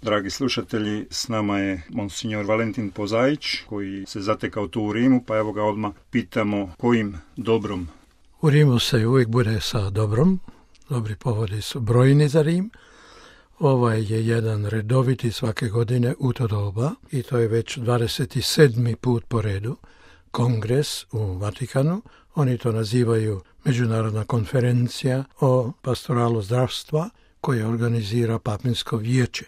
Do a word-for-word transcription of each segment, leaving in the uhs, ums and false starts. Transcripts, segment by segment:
Dragi slušatelji, s nama je monsignor Valentin Pozaić, koji se zatekao tu u Rimu, pa evo ga odmah pitamo kojim dobrom. U Rimu se uvijek bude sa dobrom, dobri povodi su brojni za Rim. Ovaj je jedan redoviti svake godine u to doba i to je već dvadeset sedmi put po redu kongres u Vatikanu. Oni to nazivaju Međunarodna konferencija o pastoralu zdravstva koje organizira Papinsko vijeće.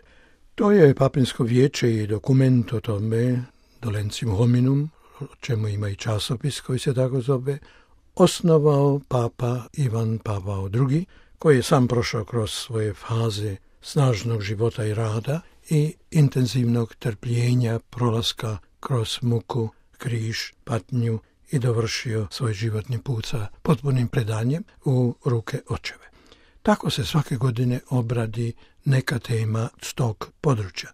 To je Papinsko vijeće i dokument o tome, Dolencium Hominum, o čemu ima i časopis koji se tako zove, osnovao Papa Ivan Pavao drugi, koji je sam prošao kroz svoje faze snažnog života i rada i intenzivnog trpljenja prolaska kroz muku, križ, patnju i dovršio svoj životni put sa potpunim predanjem u ruke očeve. Tako se svake godine obradi neka tema s tog područja.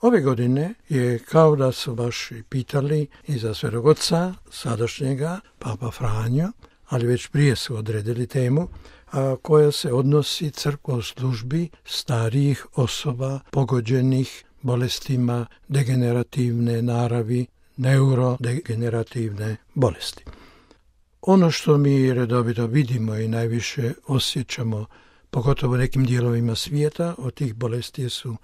Ove godine je kao da su baš pitali i za Svetog Oca, sadašnjega, Papa Franjo, ali već prije su odredili temu, a koja se odnosi crkvoj službi starijih osoba pogođenih bolestima degenerativne naravi, neurodegenerativne bolesti. Ono što mi redovito vidimo i najviše osjećamo, pogotovo u nekim dijelovima svijeta, od tih bolesti su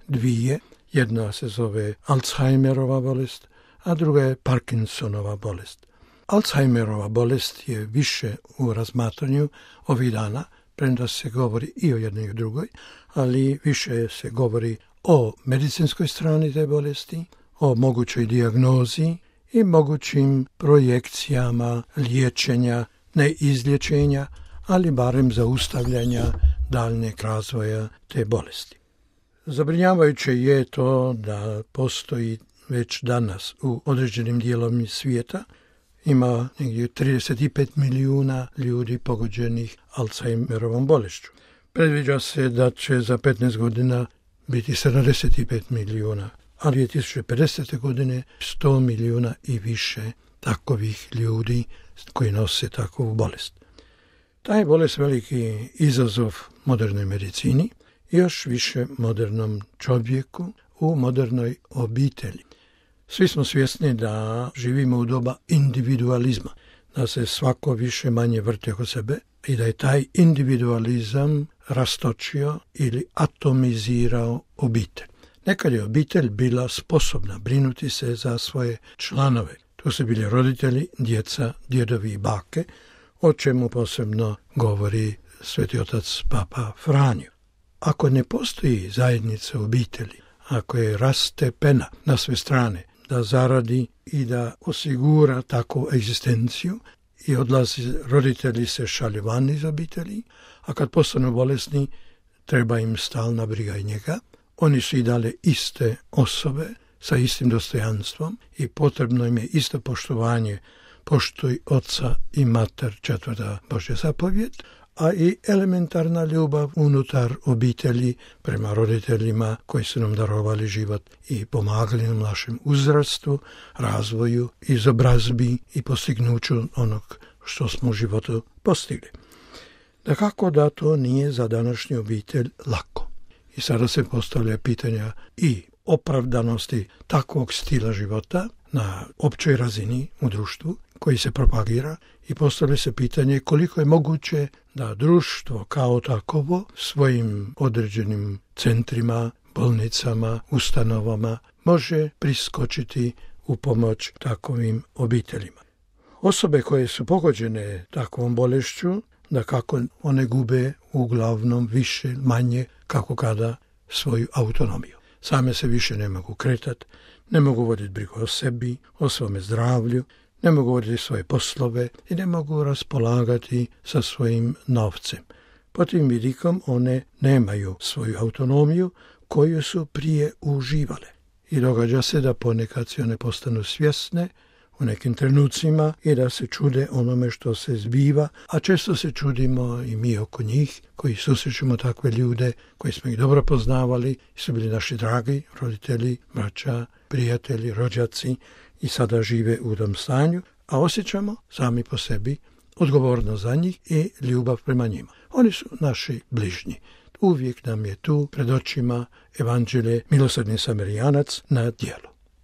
dvije. Jedna se zove Alzheimerova bolest, a druga je Parkinsonova bolest. Alzheimerova bolest je više u razmatranju ovih dana, premda se govori i o jednoj i o drugoj, ali više se govori o medicinskoj strani te bolesti, o mogućoj dijagnozi i mogućim projekcijama liječenja, ne izlječenja, ali barem zaustavljanja daljnjeg razvoja te bolesti. Zabrinjavajuće je to da postoji već danas u određenim dijelovima svijeta, ima negdje trideset pet milijuna ljudi pogođenih Alzheimerovom bolešću. Predviđa se da će za petnaest godina biti sedamdeset pet milijuna, a dvije tisuće pedesete. godine sto milijuna i više takovih ljudi koji nose takvu bolest. Ta je bolest veliki izazov modernoj medicini i još više modernom čovjeku u modernoj obitelji. Svi smo svjesni da živimo u doba individualizma, da se svako više manje vrti oko sebe i da je taj individualizam rastočio ili atomizirao obitelj. Nekad je obitelj bila sposobna brinuti se za svoje članove. To su bili roditelji, djeca, djedovi i bake, o čemu posebno govori Sveti Otac Papa Franjo. Ako ne postoji zajednica obitelji, ako je rastepena na sve strane, da zaradi i da osigura takvu egzistenciju i odlazi, roditelji se šalju van iz obitelji, a kad postanu bolesni, treba im stalna briga i njega. Oni su i dalje iste osobe sa istim dostojanstvom i potrebno im je isto poštovanje, poštuj oca i mater, četvrta Božja zapovjed, a i elementarna ljubav unutar obitelji prema roditeljima koji su nam darovali život i pomagali nam našem uzrastu, razvoju, izobrazbi i postignuću onog što smo u životu postigli. Dakako da to nije za današnju obitelj lako. I sada se postavlja pitanja i opravdanosti takvog stila života na općoj razini u društvu koji se propagira i postavlja se pitanje koliko je moguće da društvo kao takovo svojim određenim centrima, bolnicama, ustanovama može priskočiti u pomoć takovim obiteljima. Osobe koje su pogođene takvom bolešću, da kako one gube uglavnom više, manje, kako kada svoju autonomiju. Same se više ne mogu kretati, ne mogu voditi brigu o sebi, o svome zdravlju, ne mogu voditi svoje poslove i ne mogu raspolagati sa svojim novcem. Po tim vidikom one nemaju svoju autonomiju koju su prije uživale. I događa se da ponekad se one postanu svjesne u nekim trenucima i da se čude onome što se zbiva, a često se čudimo i mi oko njih koji susrećemo takve ljude koji smo ih dobro poznavali, su bili naši dragi roditelji, braća, prijatelji, rođaci i sada žive u tom stanju, a osjećamo sami po sebi odgovornost za njih i ljubav prema njima. Oni su naši bližnji. uvijek nam je tu pred očima evanđelje milosrdni Samarijanac na djelu.